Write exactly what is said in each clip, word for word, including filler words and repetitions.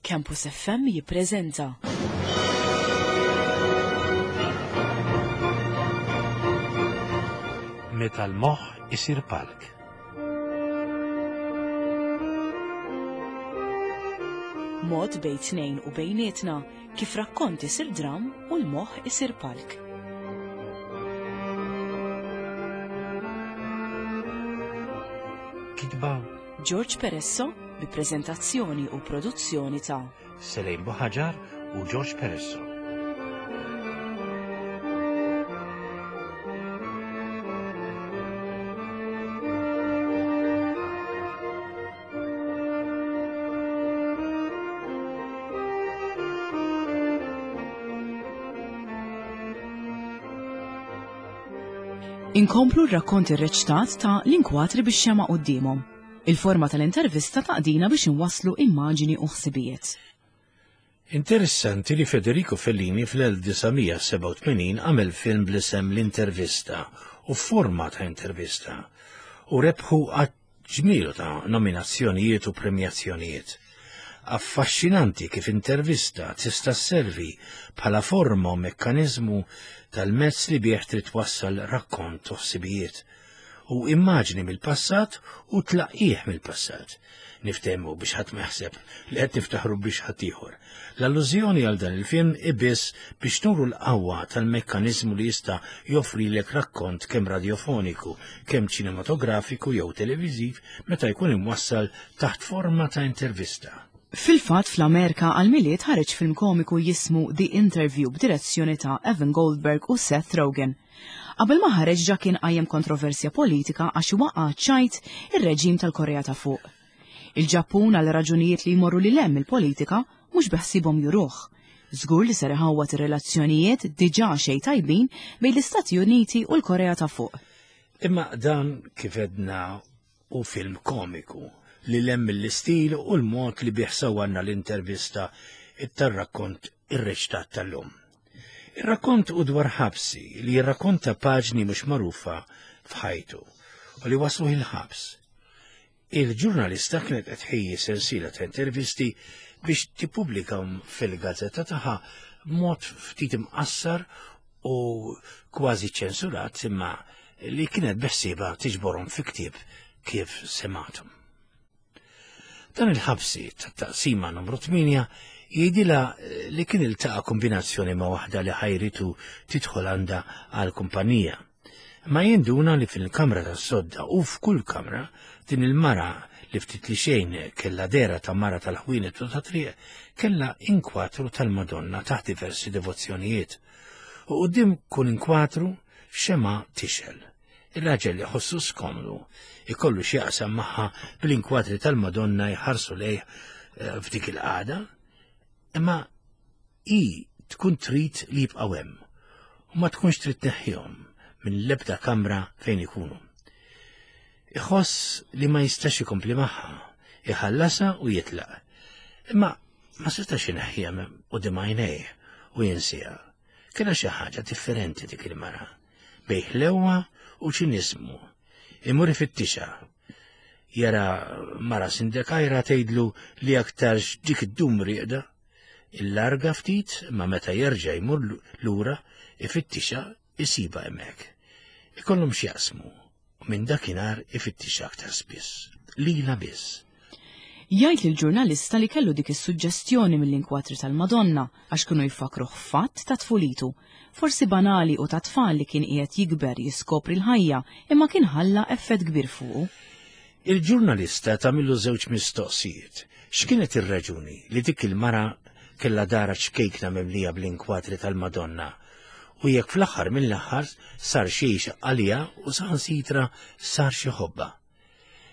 Campus F M jippreżenta Meta l-moħħ isir palk. Mod bejn tnejn u bejnietna kif rakkont isir dram u l-moħħ isir palk. Kitba George Peresso bi preżentazzjoni u produzzjoni ta' Selejn Buħaġar u George Peresso. Inkomplu r-rakkont irreċtat ta' l-inkwatri biex xema quddiemhom. Il-forma tal-intervista taqdina biex inwasslu immaġini u ħsibijiet. Interessanti li Federico Fellini fl-elf disa' mija sebgħa u tmenin għamel film bl-isem L-Intervista u forma ta' intervista u rebħu ġmielu ta' nominazzjonijiet u premjazzjonijiet. Affaxxinanti kif intervista tista' sservi bħala forma u mekkaniżmu tal-mezz li bih trid twassal rakkont u ħsibijiet u immaġni mill-passat u tlaqqih mill-passat. Niftehmu biex ħadd ma jaħseb li qed niftaħru biex ħadd ieħor. L-allużjoni għal dan il-film ibiss biex nuru l-qawwa tal-mekkaniżmu li jista' joffrilek rakkont kemm radiofoniku, kemm ċinematografiku jew televiżiv meta jkun imwassal taħt forma ta' intervista. Fil-fatt fl-Amerika għal-Milied ħareġ film komiku jismu The Interview b'direzzjoni ta' Evan Goldberg u Seth Rogen. Qabel ma ħareġ ġa kien qajjem kontroversja politika għax waqa' ċajt ir-reġim tal-Korea ta' Fuq. Il-Ġappun għal raġunijiet li jmorru lil hemm il-politika mhux beħsibhom juruh. Żgur li ser iħawwad ir-relazzjonijiet diġà xejn tajbin bejn l-Istati Uniti u l-Korea ta' Fuq. Imma dan kif edna u film komiku li lem mill-istil u l-mod li bih sawwarna l-intervista tar-rakkont irreċtat tal-lum. Ir-rakkont u dwar ħabsi li jirrakkonta paġni mhux magħrufa f'ħajtu u li waslu il-ħabs. Il-ġurnalista kienet qed tħejji sensiela ta' intervisti biex tippubblikahom fil-gazzetta tagħha b'mod ftit imqassar u kważi ċensurat imma li kienet beħsiebha tiġborhom fi ktieb kif sematum. Dan il-ħabsi tat-taqsima numru tmienja jgħidilha li kien iltaqa' kombinazzjoni ma' waħda li ħajritu tidħol għandha għal kumpanija. Ma jinduna li fil-kamra tas-sodda u f'kull kamra din il-mara li ftit li xejn kellha dera ta' mara tal-ħwienet u ta' triq kellha inkwatru tal-Madonna taħt diversi devozzjonijiet. U quddiem kull inkwatru xema tixel. Il-raġel li ħossu skomdu ikollu x'jaqsam magħha bl-inkwatri tal-Madonna jħarsu lejh, eh, f'dik il-qagħda, imma hi tkun trid li jibqgħu hemm u ma tkunx trid tneħħihom minn l-ebda kamra fejn ikunu. Iħoss li ma jistax ikompli magħha, iħallasha u jitlaq. Imma ma setax ineħħiha minn quddiem għajnejh u jinsiha. Kellha xi ħaġa differenti dik il-mara, bejn ħlewwa u ċiniżmu. Imur ifittixha. Jara mara sindekajra tgħidlu li aktarx dik id-dum rieqda. Il-larga ftit, ma meta jerġa' jmur lura ifittixha isiba hemmhekk. Ikollhom x'jaqsmu u minn dakinhar ifittixha aktar spiss. Lila biss. Jgħid lill-ġurnalista li kellu dik is-suġġestjoni mill-inkwatri tal-Madonna għax kienu jfakruh fatt ta' tfulitu, forsi banali u ta' tfal li kien qiegħed jikber jiskopri l-ħajja imma kien ħalla effett kbir fuqu. Il-ġurnalista tagħmillu żewġ mistoqsijiet. X'kienet ir-raġuni li dik il-mara kellha dara ċkejkna mimlija bl-inkwatri tal-Madonna u jekk fl-aħħar mill-aħħar sar xi għalija u saħansitra sar xi ħobba.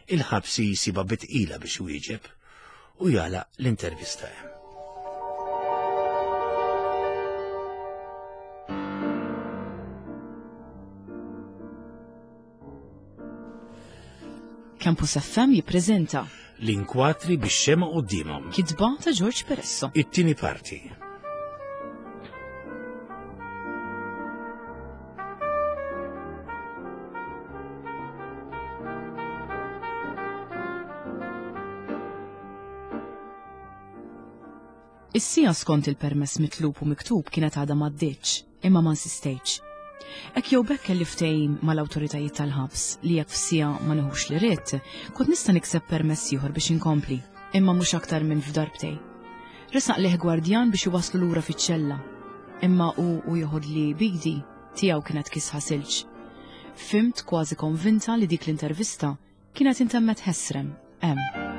Il-ħabsi jisiba bitqila biex wieġeb u jagħlaq l-intervista hemm. Campus F M jippreżenta L-inkwatri biex xema quddiemhom. Kitba ta' George Peresso. It-tieni parti. Is-siegħa skont il-permess mitlub u miktub kienet għadha m'għaddietx, imma ma nsistejtx. Hekk jew b'hekk kelli ftehim mal-awtoritajiet tal-ħabs li jekk f'siegħa ma nieħux li ridt, kont nista' nikseb permess ieħor biex inkompli, imma mhux aktar minn f'darbtej. Resaq lih gwardjan biex iwasslu lura fiċ-ċella, imma hu u joħodli bidi tiegħu kienet kisħa silġ. Fhimt kważi konvinta li dik l-intervista kienet intemmet ħesrem hemm.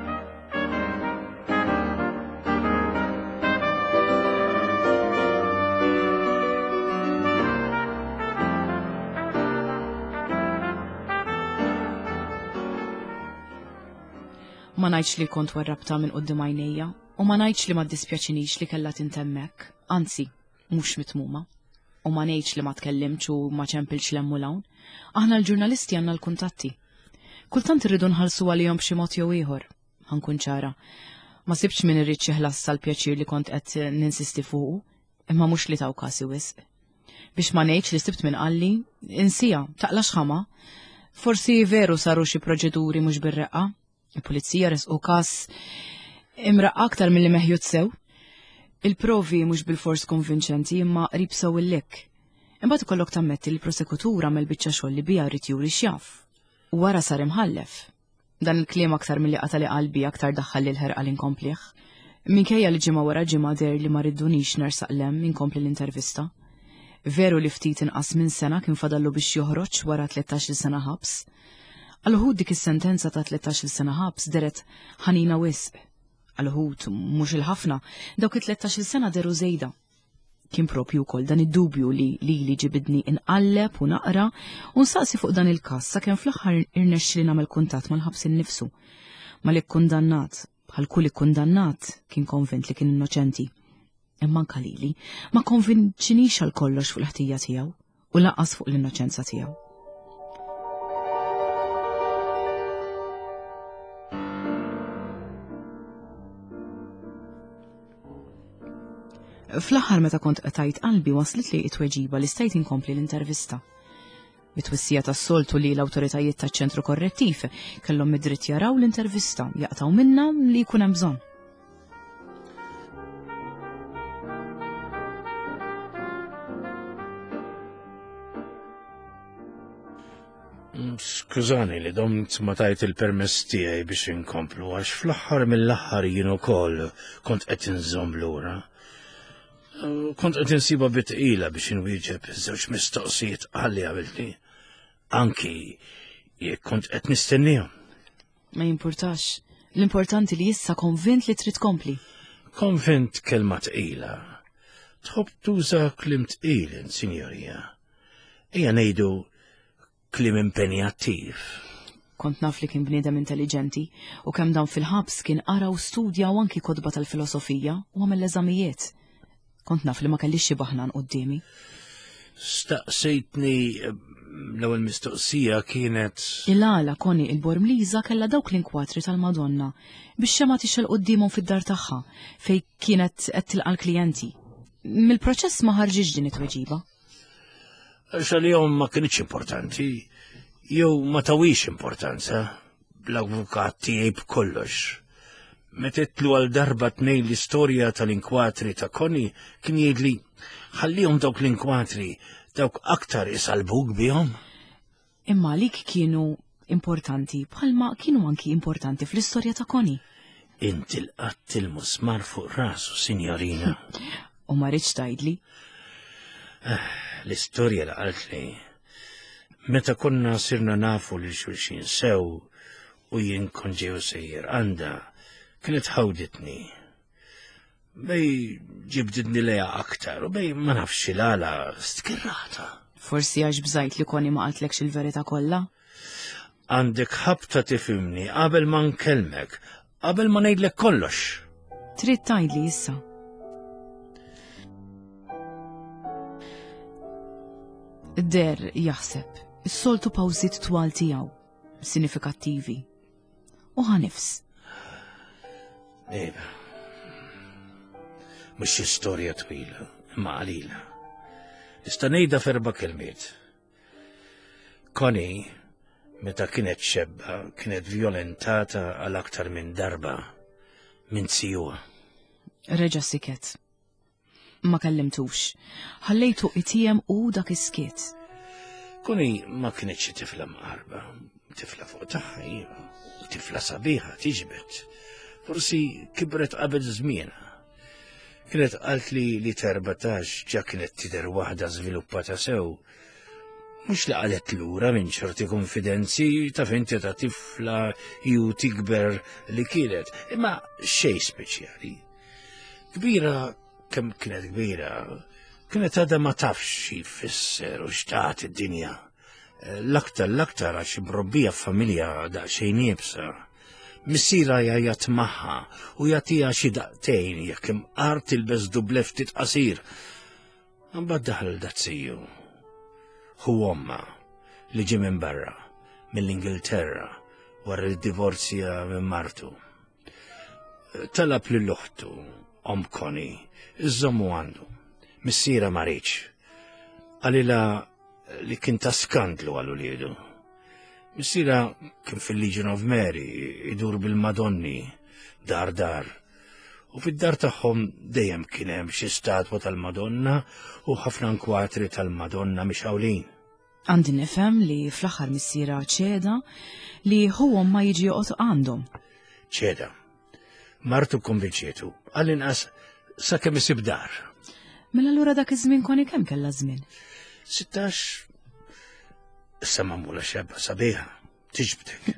Ma ngħidx li kont warrabta minn quddiem għajnejja u ma ngħidx li ma ddispjaċinix li kellha tintemm hekk, anzi, mhux mitmuma. U ma ngħidx li ma tkellimtx u ma ċempilx 'l hemm u 'l hawn. Aħna l-ġurnalisti għandna l-kuntatti. Kultant irridu nħallsu għalihom b'xi mod jew ieħor, ħa nkun ċara. Ma sibtx min irid xi ħlas sal-pjaċir li kont qed ninsisti fuqu, imma mhux li taw kasi wisq. Biex ma ngħidx li sibt min qalli, insija, taqlax ħama. Forsi veru saru xi proċeduri mhux bir-reqqa. Il-pulizija resqu każ imraqqa aktar milli meħjut sew. Il-provi mhux bil-fors konvinċenti imma qrib sew il-lek. Imbagħad ikollok tammetti li l-prosekutur għamel biċċa xogħol li biha rrid juri x'jaf. U wara sar imħallef. Dan il-kliem aktar milli qatali qalbi aktar daħħal li l-ħerqa li nkomplih. Minkejja li ġimgħa wara ġimgħa deher li ma riddunix nersaq 'l hemm inkompli l-intervista. Veru li ftit inqas minn sena kien fadallu biex joħroġ wara tlettax-il sena ħabs. Għal uħud dik is-sentenza ta' tlettax-il sena ħabs deret ħanina wisq. Għal uħud mhux il-ħafna, dawk it-tlettax-il sena deru żejda. Kien propju wkoll dan id-dubju li lili ġibidni inqalleb u naqra u nsaqsi fuq dan il-każ sakemm fl-aħħar irnexxieli nagħmel kuntatt mal-ħabs innifsu. Mal-ikkundannat, bħal kull ikkundannat, kien konvint li kien innoċenti. Imma anke lili ma konvinċinix għal kollox fuq l-ħtija tiegħu u lanqas fuq l-innoċenza tiegħu. Fl-aħħar meta kont qtajt qalbi waslet li it-tweġiba li stajt inkompli l-intervista. Bit-twissija tas-soltu li l-awtoritajiet taċ-ċentru korrettiv kellhom id-dritt jaraw l-intervista, jaqtaw minna li jkun hemm bżonn. Skużani li domt ma tajt il-permess tiegħi biex inkomplu għax fl-aħħar mill-aħħar jien ukoll kont qed inżomm lura. Kont qed insiba bitqila biex inwieġeb żewġ mistoqsijiet qalli għamiltni, anki jekk kont qed nistennihom. Ma jimpurtax. L-importanti li issa konvint li trid tkompli. Konvint kelma tqila. Tħobb tuża kliem tqil, sinjorija. Ejja ngħidu kliem impenjattiv. Kont naf li kien bniedem intelligenti u kemm dan fil-ħabs kien qara u studja u anki kotba tal-filosofija u għamel l-eżamijiet. Kont naf li ma kellix xi baħnan quddiemi. Staqsejtni l-ewwel mistoqsija kienet Il-għala Connie il-Bormliża kellha dawk l-inkwatri tal-Madonna biex xema tixgħel quddiemhom fid-dar tagħha fej kienet qed tilqa' l-klijenti. Mill-proċess ma ħarġitx din it-tweġiba. Għax għalihom ma kinitx importanti, jew ma tawix importanza, bl-avukat tiegħi b'kollox. Meta għal darba tnejn l-istorja tal-inkwatri ta' Connie kien jgħidli ħallihom dawk l-inkwatri, dawk aktar isalbuk bihom. Imma għalik kienu importanti bħalma kienu anki importanti fl-istorja ta' Connie. Inti l-qatt il-musmar fuq rasu, sinjorina. U ma rridx tgħidli. L-istorja li qaltli. Meta konna sirna nafu li xulxin sew u jien kont ġew sejjer għandha, kienet ħawditni. Bej ġibdidni leja aktar u bej ma nafx il-għala stkirrata. Forsi għax bżajt li Connie ma qaltlekx il-verità kollha? Għandek ħabta tifhimni qabel ma nkellmek, qabel ma ngħidlek kollox. Trid tgħidli issa. Der jaħseb, is-soltu pawżiet twal tiegħu, sinifikattivi. U ħanifs. Ejba. Mhux xi storja twila, imma qalila. Nista' ngħidha f'erba' kelmiet. Connie, meta kienet xebba, kienet violentata għal aktar minn darba minn zijuha. Reġa' siket. Ma kellimtux. Ħallejtu itijem u dak is-skiet. Connie ma kienx xi tifla mqarba, tifla fuq tagħha iva, u tifla sabiħa tiġbed. Forsi kibret qabel żmienha. Kienet qalt li li t'erbatax ġa kienet tidher waħda żviluppata sew. Mhux li qalet lura minn ċerti konfidenzi ta' finti ta' tifla ju tikber li kienet, imma xej speċjali. Kbira kemm kienet kbira, kienet għadha ma tafx xi jfisser u x'tat id-dinja. L-aktar l-aktar għax mrobbija f'familja daqsxejn iebsa. Missierha jgħajjat magħha u jagħtiha xi daqtejn jekk imqar tilbes dublett ftit qasir. Imbagħad daħal daz-ziju. Ħu ommha li ġie minn barra, mill-Ingilterra, wara li divorzja minn martu. Talab lil oħtu, omm Connie, iżommu għandu. Missierha ma riedx. Qalilha li kien ta' skandlu għal uliedu. Missierha kien fil-Legion of Mary, idur bil-Madonni, dar dar. U fid-dar tagħhom dejjem kien hemm xi statwa tal-Madonna u ħafna nkwatri tal-Madonna mixgħulin. Għandi nifhem li fl-aħħar missierha ċeda li ħu ommha jiġi joqgħod għandhom. ċeda. Martu konvinċietu, għall-inqas sakemm isib dar. Mela allura dak iż-żmien Connie kemm kellha żmien? Sittax, issa magħmula xebba sabiħa, tiġbdek.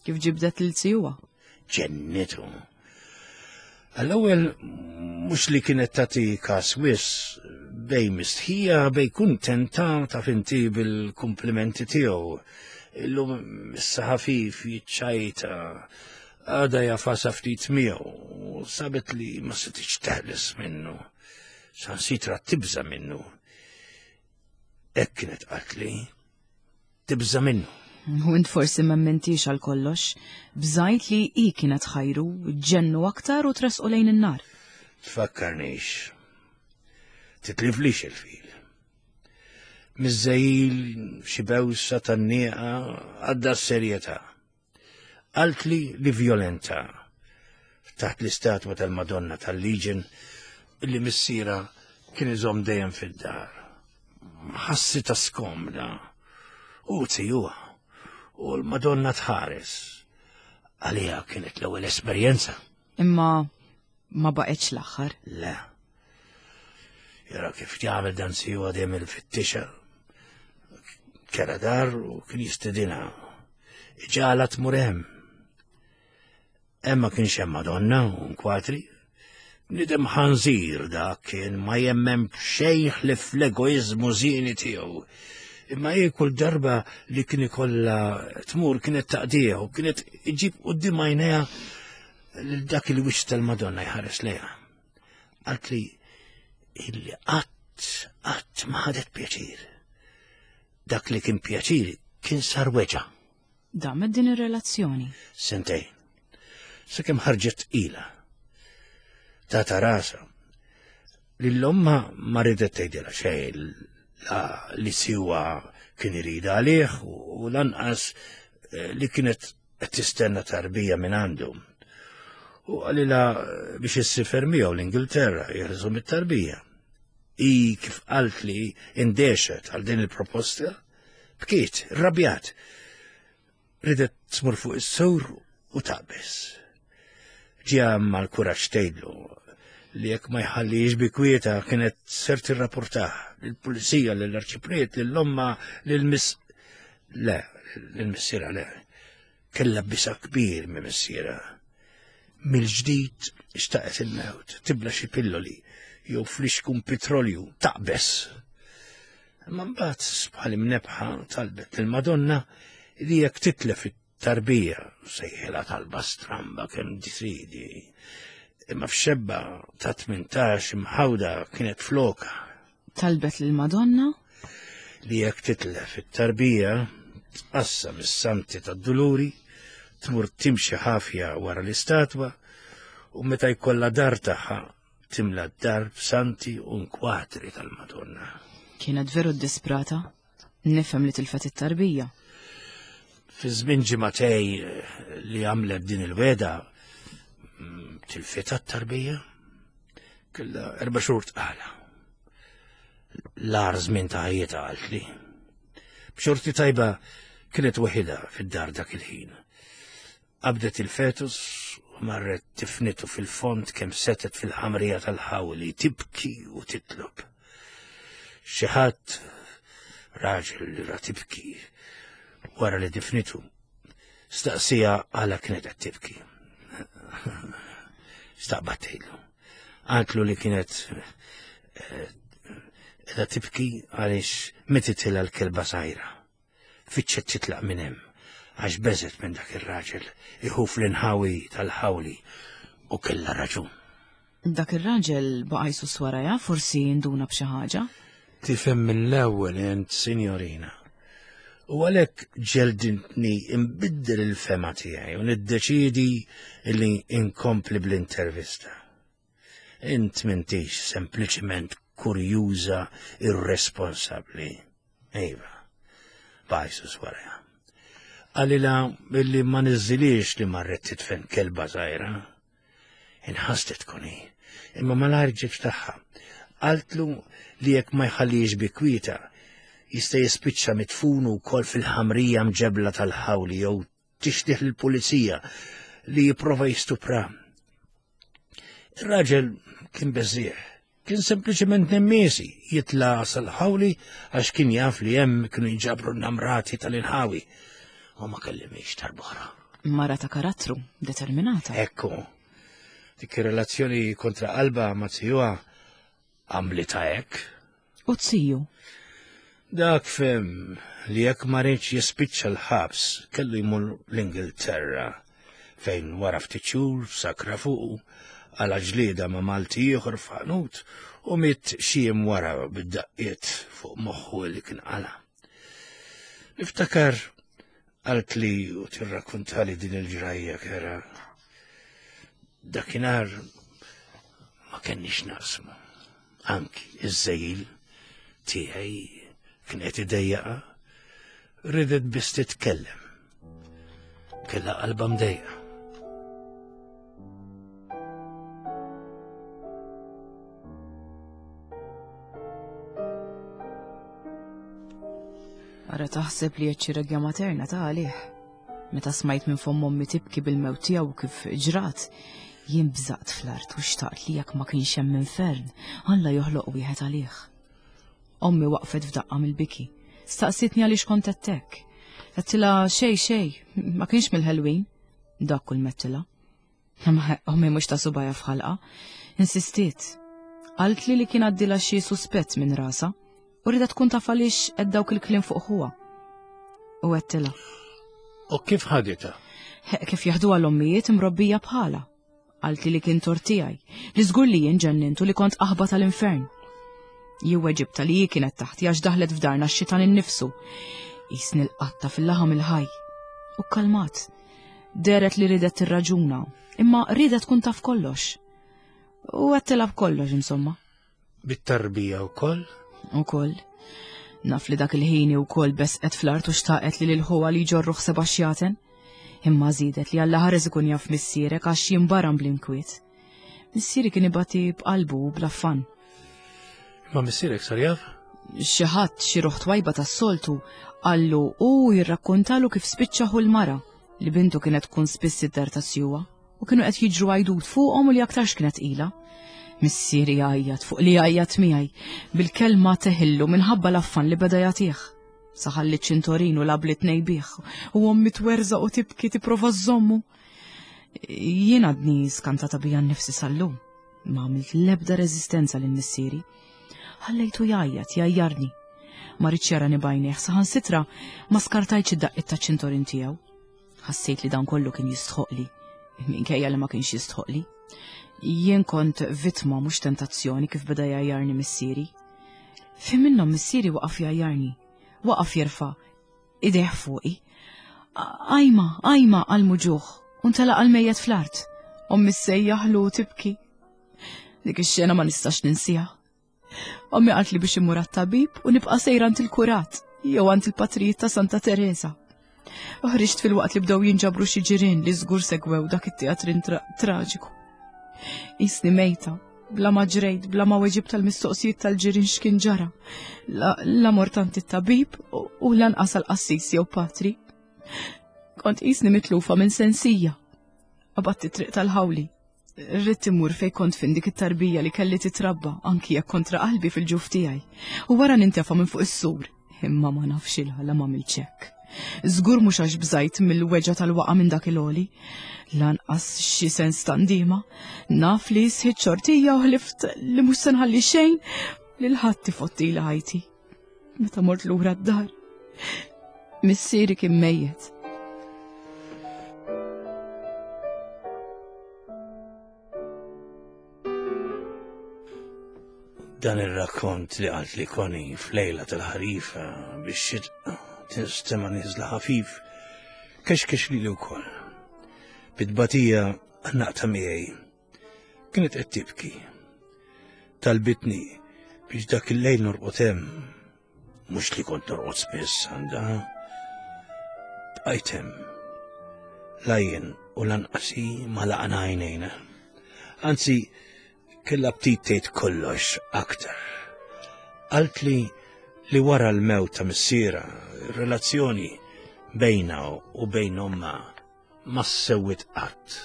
Kif ġibdet lil zijuha? Ġennitu. Għall-ewwel mhux li kienet tagħti kas wisq bejn mistħija bejn kuntenta ta' finti bil-komplimenti tiegħu. Illum issa ħafif jiċċajta għada jagħfasha ftit miegħu u sabet li ma setgħetx teħles minnu. Saħansitra tibża' minnu. Hekk kienet qaltli, tibża' minnu. U int forsi m'emmintix għal kollox, bżajt li i kienet ħajru, ġennu aktar u tresqu lejn in-nar. Tfakkarnix. Titliflix il-fil. Miż-żegħil xi bewsa tan-nieqa għadda s-serjetà. Qaltli li vjolenta taħt l-istatwa tal-Madonna tal-Legion illi missierha kien iżomm dejjem fid-dar. Ħassitha skomda u zijuha u l-Madonna tħares. Għalija kienet l-ewwel esperjenza. Imma ma baqgħetx l-aħħar. Le. Jara kif jagħmel dan zijuha dejjem il-fittixa. Kera dar u kien jistedinha. Ġala tmur hemm. Hemm ma kienx hemm Madonna u nkwatri. Bniedem ħanżir dak kien ma jemmen xejn ħlief l-egoizmu żieni tiegħu. Imma hi kull darba li kien ikollha tmur kienet taqdija u kienet iġib quddiem għajnejha lil dak il-wiċċ tal-Madonna jħares lejha. Qaltli illi qatt qatt ma ħadet pjaċir. Dak li kien pjaċir kien sar weġgħa. Damet din ir-relazzjoni. Sentejn. Sakemm ħarġet tqila. Tata rasa. Lil ommha ma ridet tgħidilha xejn la li zijuha kien iridha għalih u lanqas eh, li kienet qed tistenna tarbija minn għandu. U qalilha biex issiefer miegħu l-Ingilterra jeħilsu mit-tarbija. I kif qalt li indehxet għal din il-proposta, bkiet, rrabjat. Ridet tmur fuq is-sur u taqbeż. Ġie mal-kuraġġ tgħidlu li jekk ma jħallix bi kwieta kienet ser tirrapportah lill-pulizija, lill-arċipriet, lill-omma, lill-miss... Le, lill-missierha le. Kella biża' kbir minn missierha. Mill-ġdid xtaqet il-mewt, tibla xi pilloli, jew flixkun petrolju, taqbeż. Imma mbagħad bħal imnebbħa talbet lill-Madonna li jekk titlef it-tarbija, sejħilha talba stramba kemm tridi. Imma f'xebba ta' tmintax imħawda kienet floka Talbet lill-Madonna li jekk titlef it-tarbija tqassam is-santi tad-duluri, tmur timxi ħafja wara l-istatwa u meta jkollha dar tagħha timla d-dar b'santi u nkwatri tal-Madonna. Kienet veru disprata. Nifhem li tilfet it-tarbija. Fi żmien ġimagħtejn eh, li għamlet din il-wegħda, mm, tilfitha t-tarbija. Kellha erba' xhur tqala. L-agħar żmien ta' ħajjitha qaltli. B'xorti tajba kienet waħidha fid-dar dak il-ħin. Qabdet il-fetus u marret tifnitu fil-fond kemm setet fil-ħamrija tal-ħawli tibki u titlob. Xi ħadd raġel li ra tibki wara li difnitu staqsija għala kienet qed tibki. Staqbat tgħidlu. Qaltlu li kienet eh, qiegħda tibki għaliex mititilha l-kelba żgħira. Fittxet titlaq minn hemm għax beżet minn dak ir-raġel iħuf l-inħawi tal-ħawli u kellha raġun. Dak ir-raġel baqa' jsus warajha, forsi induna b'xi ħaġa. Tifhem mill-ewwel int, sinjorina. U għalhekk ġeldintni imbiddel il-fema tiegħi u niddeċidi li inkompli bl-intervista. Int m'intix sempliċement kurjuża irresponsabbli. Iva, baqa' jsus warajha. Qalilha billi ma niżżilix li marret titfen kelba żgħira. Inħasdet koni, imma malajr ġiet f'tagħha. Qaltlu li jekk ma jħallix bi kwieta, jista' jispiċċa mitfun ukoll fil-ħamrija mġebla tal-ħawli jew tixtih lill-pulizija li jipprova jistupra. Ir-raġel kien beżżieħ, kien sempliċement nemmiesi jitla' sal-ħawli għax kien jaf li hemm kienu jinġabru n-namrati tal-inħawi. U ma kellimix darb'oħra. Mara ta' karattru, determinata. Ekku, dik ir-relazzjoni kontra qalba ma' zijuha għamlitha hekk. U ziju? Dak fhem li jekk ma riedx jispiċċa l-ħabs kellu jmur l-Ingilterra fejn wara ftit xhur sakra fuqu għala ġlieda ma' Malti ieħor f'ħanut u miet xi jiem wara bid-daqqiet fuq moħħu li kien qala. Niftakar qaltli u tirrakkuntali din il-ġrajja kera. Dakinhar ma kenniex naqsmu. Anki iż-żejl tiegħi kien qed idejjaqa, ridet biss titkellem. Kellha qalba mdejqa. Ara taħseb li qed xi regja materna ta' għalih. Meta smajt minn fomm ommi tibki bil-mewt tiegħu kif ġrat, jien bżaqt fl-art u xtaqt li jekk ma kienx hemm infern, Alla joħloq wieħed għalih. Ommi waqfet f'daqqa mill-biki. Staqsitni għaliex kont qed hekk. Għedtilha xej xej, ma kienx mill-ħelwin. Dak kull mettilha. Ma ommi mhux ta' subajja f'ħalqa. Insistiet. Qaltli li kien għaddilha xi suspett minn rasa u rida tkun taf għaliex qed dawk il-kliem fuq ħuha. U għedtilha. U kif ħaditha? Kif jaħduha l-ommijiet imrobbija bħala. Qaltli li kien tort tiegħi, li żgur li jien ġennintu li kont qaħba tal-infern. Jien weġibta li hi kienet taħti għax daħlet f'darna x-xitan innifsu. Qisni l-qatta fil-laħam il-ħaj. U kkalmat. Deret li ridet tirraġuna, imma ridet tkun taf kollox. U għedtilha b'kollox, insomma. Bit-tarbija wkoll? Ukoll. Naf li dak il-ħin wkoll besqet fl-art u xtaqet li lil ħuha li jġorruh seba' xjaten. Imma żiedet li Alla ħares ikun jaf missierek għax jimbaram bl-inkwiet. Missieri kien ibati b'qalbu u bl-affan. Ma missierek sar jaf? Xi ħadd xi ruħ twajba tas-soltu qallu u jirrakkontalu kif spiċċa ħu l-mara li bintu kienet tkun spiss id-dar ta' sjuwa u kienu qed jiġru għajdut fuqhom u li aktarx kienet qila. Missieri jgħajjat fuq li jgħajjat miegħi bil-kelma teħillu minħabba l-affan li beda jagħtih. Saħalli ċintorin u labli tnejbih u ommi twerżaq u tibki tipprova żżommu. Jien għadni skantata bija nnifsi sal-lum. Ma għamilt l-ebda reżistenza lil missieri. Ħallejtu jgħajjat, jgħajjarni. Ma rridx jarani b'għajnejh, saħansitra ma skartajtx id-daqqiet taċ-ċintorin tiegħu. Ħassejt li dan kollu kien jistħoqli, minkejja li ma kienx jistħoqli. Jien kont vittma mhux tentazzjoni kif beda jgħajjarni missieri. Fi minnhom missieri waqaf jgħajjarni, waqaf jerfa' idejh fuqi. Ajma, ajma għal muġuħ, u ntelaq għal mejjet fl-art. Ommi ssejjaħlu u tibki. Dik ix-xena ma nistax ninsiha. Ommi qaltli biex immur għat-tabib u nibqa' sejra għand il-kurat jew għand il-patrijiet ta' Santa Teresa. U ħriġt fil-waqt li bdew jinġabru xi ġirien li żgur segwew dak it-teatrin tra- traġiku. Qisni mejta, Bla ma ġrejt, bla ma weġib tal-mistoqsijiet tal-ġirien x'kien ġara. La, la mort għand it-tabib u, u lanqas għall-qassis jew patri. Kont qisni mitlufa minn sensija. Qabadt it-triq tal-ħawli. Ridt immur fejn kont fin dik it-tarbija li kelli titrabba anki jekk kontra qalbi fil-ġuf tiegħi. U wara nintefa' minn fuq is-sur. Imma ma nafx il-ħala ma hekk. Żgur mhux għax bżajt mill-weġgħa tal-waqa minn dak il-għoli. Lanqas xi sens ta' ndiema. Naf li sħiet xortija u ħlift li mhux se nħalli xejn lil ħadd ifottili ħajti. Meta mort lura d-dar, missieri kien mejjet. Dan ir-rakkont li qalt li Connie f'lejla tal-ħarifa biex xitqa tinstema' nieżla ħafif, kexkex lili wkoll. Bit-tbatija għannaqtha miegħi. Kienet qed tibki. Talbitni biex dak il-lejl norqod hemm. Mhux li kont norqod spiss għandha. Bqajt hemm. La jien u lanqas hi ma laqna għajnejna. Anzi, kellha ftit tgħid kollox aktar. Qaltli li wara l-mewt ta' missiera, relazzjoni bejna u bejn omma ma ssewwit qatt.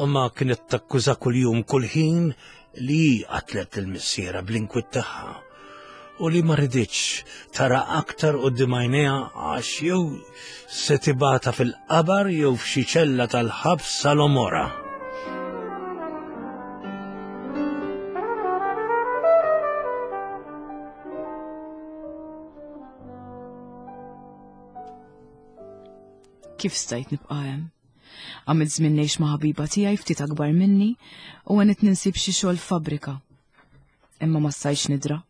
Omma kienet takkuża kuljum kull ħin li hi qatlet il-missiera bl-inkwiet tagħha u li ma riditx tara aktar quddiem għajnejha għax jew se tibgħatha fil-qabar jew f'xi ċella tal-ħabs sal-omora. Kif stajt nibqa' hemm? Għamilt żmien ngħix ma' ħabiba tiegħi ftit akbar minni u għenet ninsib xi xogħol fabbrika. Imma ma stajtx nidra.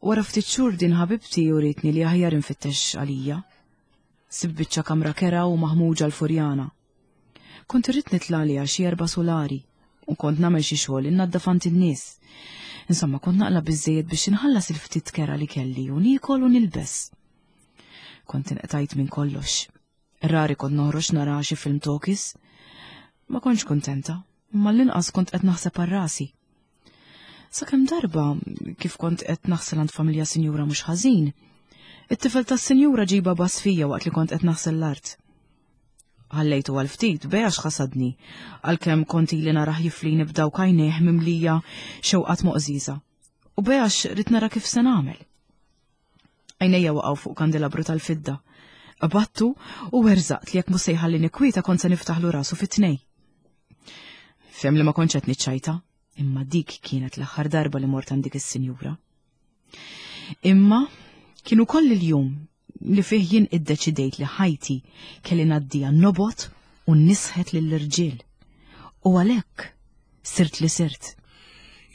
Wara ftit xhur din ħabibti uritni li aħjar infittex għalija. Sib biċċa kamra kera u maħmuġa l-Furjana. Kont irrid nitla' għaliha xi erba' solari u kont nagħmel xi xogħol innaddaf għand in-nies. Insomma, kont naqla biżejjed biex inħallas il-ftit kera li kelli u niekol u nilbes. Kont inqtajt minn kollox. Rari kont noħroġ nara xi film talkies. Ma kontx kuntenta, imma l-inqas kont qed naħseb għal rasi. Sakemm darba, kif kont qed naħsel għand familja sinjura mhux ħażin, it-tifel tas-sinjura ġiba bass fija waqt li kont qed naħsel l-art. Ħallejtu għal ftit bejax ħasadni, għalkemm kont ili narah jiflini b'dawk għajnejh mimlija xewqat moqżiża. U bejax rid nara kif se nagħmel. Għajnejja waqgħu fuq kandelabru tal-fidda. Qabattu u werżaqt li jekk mhux se jħallini kwieta kont se niftaħlu rasu fit-tnej. Fhem li ma kontx qed niċċajta, imma dik kienet l-aħħar darba li mort għand dik is-sinjura. Imma kien ukoll il-jum li fih jien iddeċidejt li ħajti kelli ngħaddiha nobgħod u nisħet lill-irġiel. U għalhekk sirt li sirt.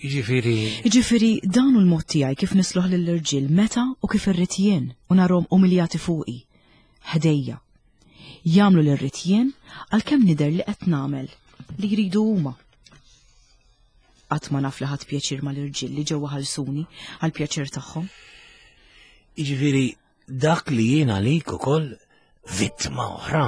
Jiġifieri Jiġifieri dan hu l-mod tiegħi kif nisloħ lill-irġiel meta u kif irrid jien u narhom umiljati fuqi. Ħdejja. Jagħmlu li rrid jien għalkemm nidher li qed nagħmel li jridu huma. Qatt ma naf li ħadd pjaċir mal-irġiel li ġewwa ħalsuni għall-pjaċir tagħhom. Jiġifieri dak li jien għalik ukoll vittma oħra.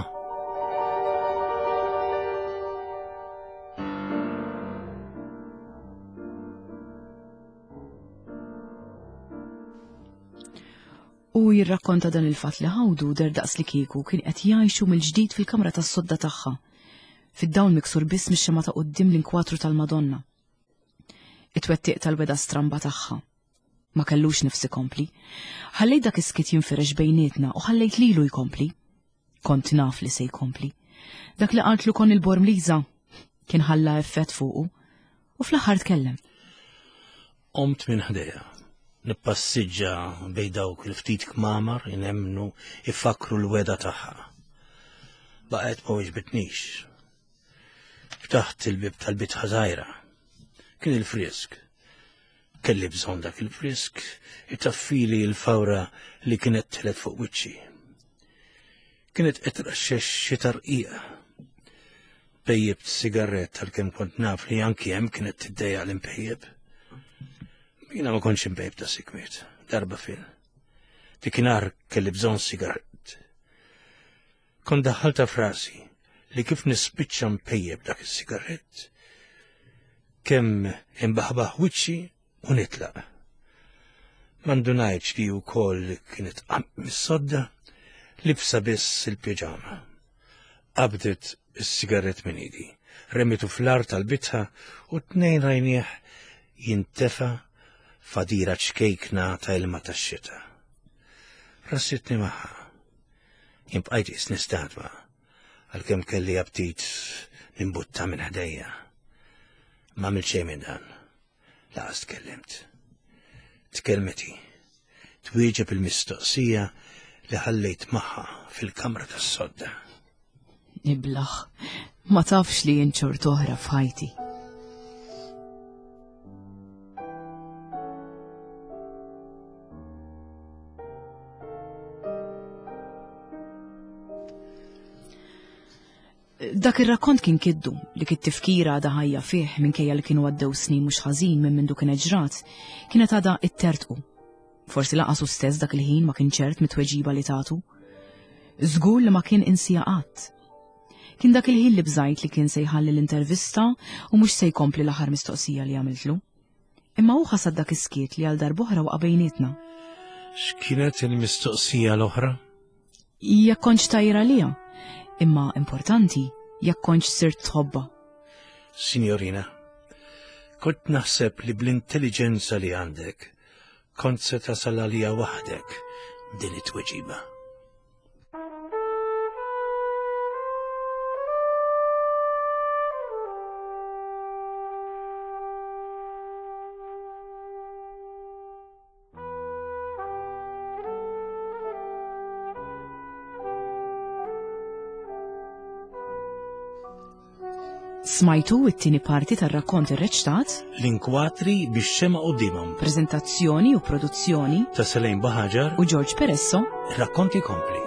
U jirrakkonta dan il-fatt li ħawdu der daqs li kieku kien qed jgħixu mill-ġdid fil-kamra tas-sodda tagħha, fid-dawl miksur biss mix-xemgħa ta' quddiem l-inkwatru tal-Madonna. It-twettiq tal-weda stramba tagħha. Ma kellux nifs ikompli. Ħallejt dak is-skiet jinfirex bejnietna u ħallejt lilu jkompli. Kont naf li se jkompli. Dak li qaltlu kon il-Bormliża kien ħalla effett fuqu u fl-aħħar tkellem. Qomt minn ħdejha. Nippassiġġa bejn dawk il-ftit kmamar inemnu ifakru l-weda tagħha. Baqgħet ma weġbitnix. Ftaħt il-bib tal-bitħa żgħira. Kien il-frisk. Kelli bżonn dak il-frisk itaffili l-fawra li kienet telet fuq wiċċi. Kienet qed traxxex xi tarqiqa. Pejjibt sigarett għalkemm kont naf li anki hemm kienet tiddejjaq l-impejjeb. Jiena ma kontx impejjeb ta' sikwiet, darba fil. Dikinhar kelli bżonn sigarett. Kont daħħalta frasi li kif nispiċċa mpejjeb dak is-sigarett, Kemm imbaħbaħ wiċċi u nitlaq. M'indunajtx li wkoll kienet qamet mis-sodda, libsa biss il-piġama. Qabdet is-sigarett minn idi, remitu fl-art tal-bitħa u tnejn rajnieh jintefa f'għadira ċkejkna ta' ilma tax-xita. Rassitni magħha. Jien bqajt qisni statwa, għalkemm kelli aptit nimbutta minn ħdejja. Ma għamilt xejn minn dan. Lanqas tkellimt. Tkellmet hi. Twieġeb il-mistoqsija li ħallejt magħha fil-kamra tas-sodda. Iblaħ, ma tafx li jien oħra f'ħajti. Dak ir-rakkont kien kiddu li kit tifkira għadha ħajja fih minkejja li kienu għaddew snin mhux ħażin minn mindu kien ġrat, kienet għadha ittertqu. Forsi lanqas hu stess dak il-ħin ma kien ċert mit-tweġiba li tagħtu. Żgur li ma kien insija qatt. Kien dak il-ħin li bżajt li kien se jħalli l-intervista u mhux se jkompli l-aħħar mistoqsija li għamiltlu. Imma hu ħasad dak is-skiet li għal darb'oħra waqa' bejnietna. X'kienet il-mistoqsija l-oħra? Jekk kontx tajra lija, imma importanti jekk kontx sirt tħobbha. Signorina, kont naħseb li bl-intelligenza li għandek, kont se tasal għalija waħdek din it-tweġiba. Smajtu it-tieni parti tar-rakkont irreċtat, L-inkwatri bix-xemgħa quddiemhom preżentazzjoni u produzzjoni ta' Selene Buhagiar u George Peresso rakkonti kompli.